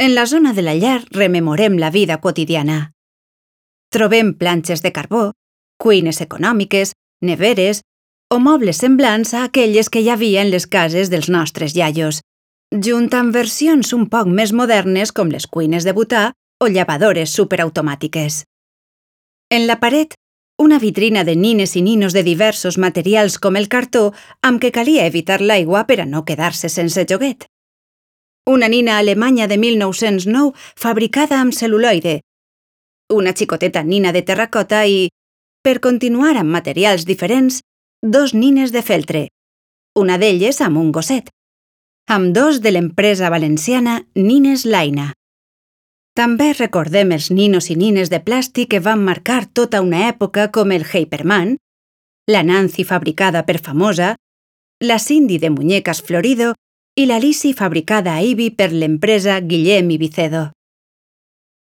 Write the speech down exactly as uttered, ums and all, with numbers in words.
En la zona de la llar rememorem la vida quotidiana. Trobem planxes de carbó, cuines econòmiques, neveres o mobles semblants a aquelles que hi havia en les cases dels nostres iaios, junt amb versions un poc més modernes com les cuines de butà o llevadores superautomàtiques. En la paret, una vitrina de nines i ninos de diversos materials com el cartó amb què calia evitar l'aigua per a no quedar-se sense joguet. Una nina alemanya de mil nou-cents nou fabricada amb cel·luloide, una xicoteta nina de terracota i, per continuar amb materials diferents, dos nines de feltre, una d'elles amb un gosset, amb dos de l'empresa valenciana Nines Laina. També recordem els ninos i nines de plàstic que van marcar tota una època com el Hyperman, la Nancy fabricada per Famosa, la Cindy de muñecas Florido i la Lizzie fabricada a Ibi per l'empresa Guillem i Vicedo.